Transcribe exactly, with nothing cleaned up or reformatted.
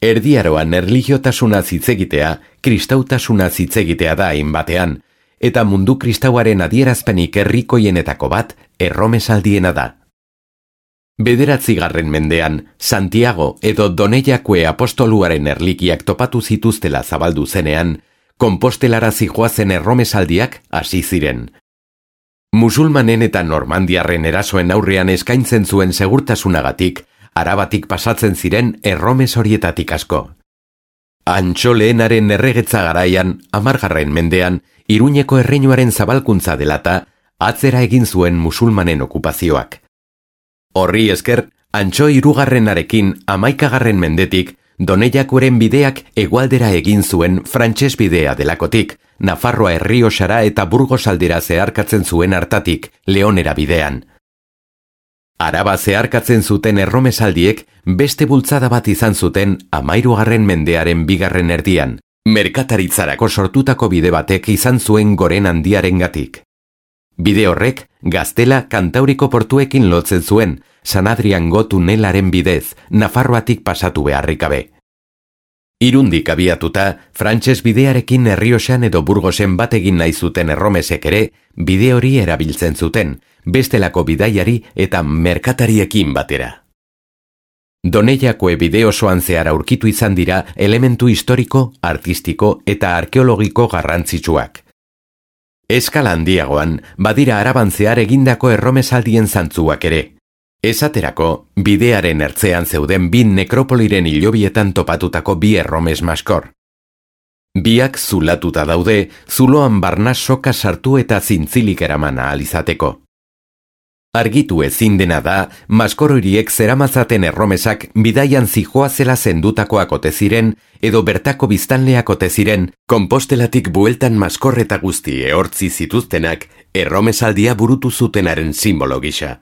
Erdiaroan erlijiotasuna zitzegitea, kristautasuna zitzegitea da hainbatean, eta mundu kristauaren adierazpenik herrikoienetako bat erromesaldiena da. Bederatzigarren mendean, Santiago edo Doneiakue apostoluaren erlikiak topatu zituztela zabaldu zenean, Konpostelara zijoazen erromesaldiak hasi ziren. Musulmanen eta normandiarren erasoen aurrean eskaintzen zuen segurtasunagatik, Arabatik pasatzen ziren erromes horietatik asko. Antxo Lehenaren erregetza garaian, hamargarren mendean, Iruñeko erreinuaren zabalkuntza delata, atzera egin zuen musulmanen okupazioak. Horri esker, Antxo hirugarrenarekin hamaikagarren mendetik, Doneiakuren bideak hegoaldera egin zuen frantses bidea delakotik, Nafarroa Errioxara eta Burgos aldera zeharkatzen zuen hartatik, Leonera bidean. Araba zeharkatzen zuten erromesaldiek beste bultzada bat izan zuten hamahirugarren mendearen bigarren erdian, merkataritzarako sortutako bide batek izan zuen goren handiarengatik. Bide horrek, Gaztela Kantauriko portuekin lotzen zuen, San Adriango tunelaren bidez, Nafarroatik pasatu beharrik gabe. Irundik abiatuta, frantses bidearekin Errioxan edo Burgosen bat egin nahi zuten erromesek ere, bide hori erabiltzen zuten, bestelako bidaiari eta merkatariekin batera. Doneiakue bide osoan zehar aurkitu izan dira elementu historiko, artistiko eta arkeologiko garrantzitsuak. Eskala handiagoan, badira Araban zehar egindako erromesaldien zantzuak ere. Esaterako, bidearen ertzean zeuden bi nekropoliren hilobietan topatutako bi erromes maskor. Biak zulatuta daude, zuloan barna soka sartu eta zintzilik eraman ahal izateko. Argitu ezin dena da, maskor horiek zeramatzaten erromesak bidaian zijoazela zendutakoak ote ziren, edo bertako biztanleak ote ziren, Konpostelatik bueltan maskor eta guzti ehortzi zituztenak, erromesaldia burutu zutenaren simbolo gisa.